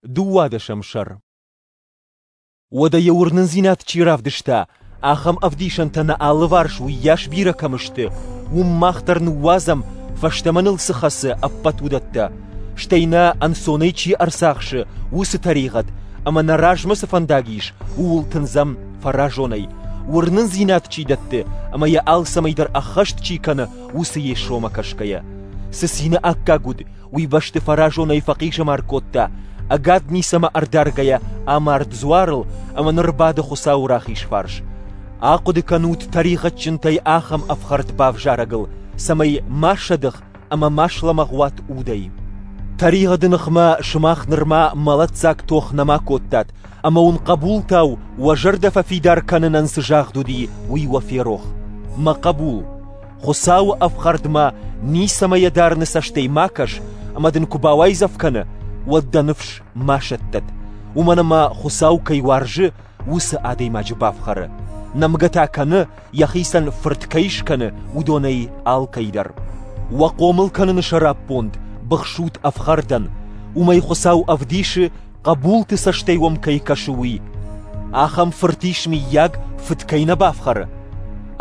Дыууадӕсӕм сӕр. Уӕдӕ йӕ уырнындзинад чи равдыста, ахӕм ӕвдисӕнтӕ нӕ алыварс уыйас бирӕ кӕм сты, уым мах дӕр ныууадзӕм, фӕстӕмӕ ныл цы хӕцы, ӕппӕт уыдӕттӕ. Стӕй нӕ ӕнцонӕй чи ӕрцахсы, уыцы тӕригъӕд, ӕмӕ нӕ размӕ цы фӕндаг ис, ууыл тындзӕм фӕразонӕй, уырнындзинад чи дӕтты ӕмӕ йӕ алцӕмӕй дӕр ӕххӕст чи кӕны, уыцы Йесомӕ кӕсгӕйӕ. Цы цины аккаг уыд, уый бӕсты фӕразонӕй фӕхъизӕмар кодта, ӕгад ницӕмӕ ӕрдаргӕйӕ амард дзуарыл ӕмӕ ныр бады Хуыцауы рахиз фарс. Ахъуыды кӕнут тӕригъӕдджынтӕй ахӕм ӕфхӕрд бавзарӕгыл, цӕмӕй ма сӕдых ӕмӕ ма слӕмӕгъ уат удӕй. Тӕригъӕды ныхмӕ сымах нырма мӕлӕтдзаг тох нӕма кодтат, ӕмӕ уын хъӕбултау уӕ зӕрдӕ фӕфидар кӕнынӕн цы загъд уыди, уый уӕ ферох. Мӕ хъӕбул, Хуыцауы ӕфхӕрдмӕ ницӕмӕ йӕ дарыны цӕстӕй ма кӕс, ӕмӕ дын куы бауайдзӕф кӕны, уӕд дӕ ныфс ма сӕттӕд, уымӕн ӕмӕ Хуыцау кӕй уарзы, уыцы адӕймаджы бафхӕры. Нӕмгӕ та кӕны, йӕхицӕн фырт кӕй скӕны, уыдонӕй алкӕй дӕр. Уӕ хъомыл кӕныны сӕраппонд быхсут ӕфхӕрдӕн, уымӕй Хуыцау ӕвдисы, хъӕбулты цӕстӕй уӕм кӕй кӕсы, уый. Ахӕм фырт ис, мыййаг, фыд кӕй нӕ бафхӕры?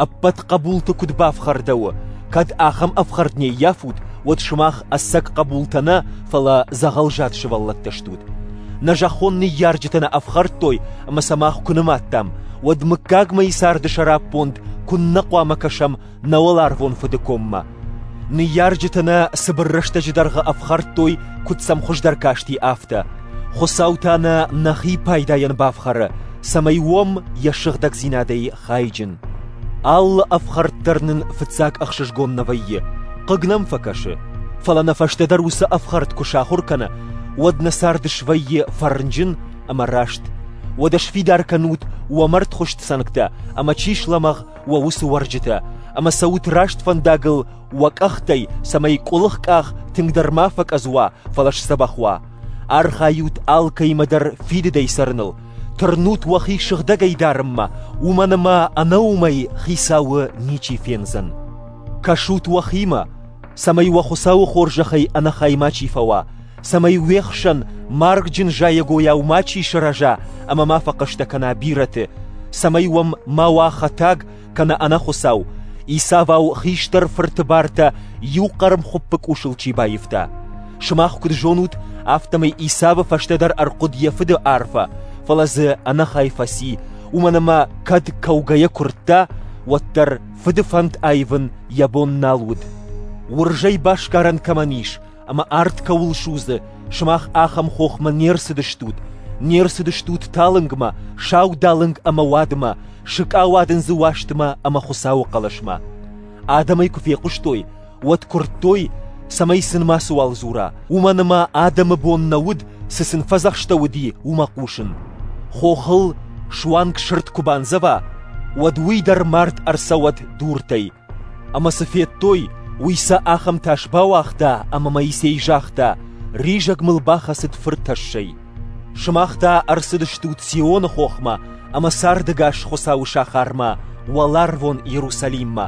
Ӕппӕт хъӕбулты куыд бафхӕрдӕуы, кӕд ахӕм ӕфхӕрд не ййафут, уӕд сымах ӕцӕг хъӕбултӕ нӕ, фӕлӕ дзӕгъӕлзад сывӕллӕттӕ стут. Нӕ зӕххон ныййарджытӕ нӕ ӕфхӕрдтой ӕмӕ сӕ мах куы нымадтам, уӕд мыггагмӕйы царды сӕраппонд куыннӕ хъуамӕ кӕсӕм нӕ уӕларвон Фыды коммӕ. Ныййарджытӕ нӕ цыбыр рӕстӕджы дӕргъы ӕфхӕрдтой, куыд сӕм хуыздӕр касти, афтӕ. Хуыцау та нӕ нӕхи пайдайӕн бафхӕры, цӕмӕй уӕм йӕ сыгъдӕгдзинадӕй хайджын. Алы ӕфхӕрд дӕр нын фыццаг ӕхсызгон нӕ вӕййы, хъыг нӕм фӕкӕсы. Фӕлӕ нӕ фӕстӕдӕр уыцы ӕфхӕрд куы сахуыр кӕны, уӕд нӕ цард свӕййы фӕрнджын ӕмӕ раст. Уӕдӕ сфидар кӕнут уӕ мӕрдхуыст цӕнгтӕ ӕмӕ чи слӕмӕгъ, уӕ уыцы уӕрджытӕ, ӕмӕ цӕут раст фӕндагыл уӕ къӕхтӕй, цӕмӕй къуылых къах тынгдӕр ма фӕкъӕдз уа, фӕлӕ сдзӕбӕх уа. Архайут алкӕимӕ дӕр фидыдӕй цӕрыныл, тырнут уӕхи сыгъдӕгӕй дарынмӕ, уымӕн ӕмӕ ӕнӕ уымӕй Хицауы ничи фендзӕн. Кӕсут уӕхимӕ, цӕмӕй уӕ Хуыцауы хорзӕхӕй ӕнӕхай мачи фӕуа, цӕмӕй уе хсӕн маргджын зайӕгойау мачи сырӕза ӕмӕ ма фӕхъӕстӕ кӕна бирӕты, цӕмӕй уӕм ма уа хӕтаг кӕнӕ ӕнӕхуыцау, Исавау хистӕр фырты бартӕ иу хъӕрмхуыппы къусыл чи баивта. Сымах куыд зонут, афтӕмӕй Исавы фӕстӕдӕр ӕрхъуыд йӕ фыды арфӕ, фӕлӕ дзы ӕнӕхай фӕци, уымӕн ӕмӕ кӕд кӕугӕйӕ куырдта, уӕддӕр фыды фӕнд аивын йӕ бон нал уыд. Уырзӕй басгарӕн кӕмӕн ис, ӕмӕ арт кӕуыл судзы, сымах ахӕм хохмӕ не рцыдыстут, не рцыдыстут талынгмӕ, саудалынг ӕмӕ уадмӕ, сыкъауадындзы уастмӕ ӕмӕ Хуыцауы хъӕлӕсмӕ. Адӕм ӕй куы фехъуыстой, уӕд куырдтой, цӕмӕй сын мацыуал дзура, уымӕн ӕмӕ адӕмы бон нӕ уыд, цы сын фӕдзӕхстӕуыди, уымӕ хъусын. Хохыл суанг сырд куы бандзӕва, уӕд уый дӕр мард ӕрцӕуӕд дуртӕй. Ӕмӕ цы федтой, уый сӕ ахӕм тас бауагъта, ӕмӕ Моисей загъта: «Ризӕг мыл бахӕцыд фыр тӕссӕй». Сымах та ӕрцыдыстут Сионы хохмӕ ӕмӕ цардӕгас Хуыцауы сахармӕ, уӕларвон Иерусалиммӕ,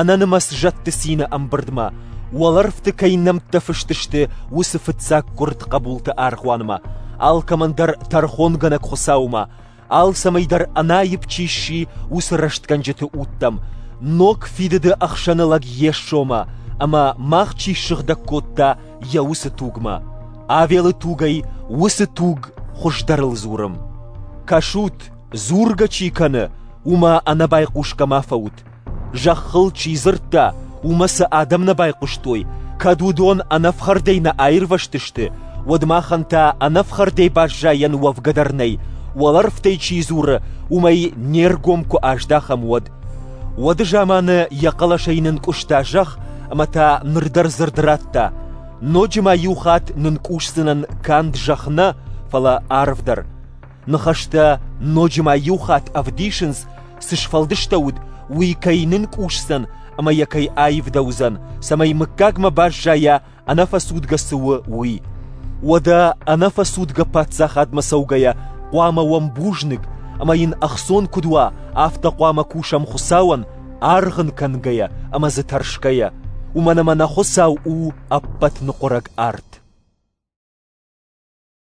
ӕнӕнымӕц зӕдты цины ӕмбырдмӕ, уӕлӕрвты кӕй нӕмттӕ фыст сты, уыцы фыццаггуырд хъӕбулты аргъуанмӕ, алкӕмӕн дӕр тӕрхонгӕнӕг Хуыцаумӕ, алцӕмӕй дӕр ӕнаипп чи сси, уыцы рӕстгӕнджыты удтӕм, ног фидыды ӕхсӕны лӕг Йесомӕ ӕмӕ мах чи ссыгъдӕг кодта, йӕ уыцы тугмӕ. Авелы тугӕй уыцы туг хуыздӕрыл дзуры. Кӕсут, дзургӕ чи кӕны, уымӕ ӕнӕбайхъусгӕ ма фӕут. Зӕххыл чи дзырдта, уымӕ цы адӕм нӕ байхъуыстой, кӕд уыдон ӕнӕфхӕрдӕй нӕ аирвӕзтысты, уӕд махӕн та ӕнӕфхӕрдӕй баззайӕн уӕвгӕ дӕр нӕй, уӕлӕрвтӕй чи дзуры, уымӕй не ргом куы аздахӕм, уӕд. Уӕды заманы йӕ хъӕлӕсӕй нынкъуыста зӕхх ӕмӕ та ныр дӕр дзырд радта: ноджы ма иу хатт нынкъусдзынӕн канд зӕхх нӕ, фӕлӕ арв дӕр. Ныхӕстӕ ноджы ма иу хатт ӕвдисынц, цы сфӕлдыстӕуыд, уый кӕй нынкъусдзӕн ӕмӕ йӕ кӕй аивдӕуыдзӕн, цӕмӕй мыггагмӕ баззайа ӕнӕфӕцудгӕ цы у, уый. Уӕдӕ ӕнӕфӕцудгӕ паддзахадмӕ цӕугӕйӕ хъуамӕ уӕм бузныг, ӕмӕ йын ӕхцон куыд уа, афтӕ хъуамӕ кусӕм Хуыцауӕн, аргъ ын кӕнгӕйӕ ӕмӕ дзы тӕрсгӕйӕ, уымӕн ӕмӕ нӕ Хуыцау у ӕппӕт ныхъуырӕг арт.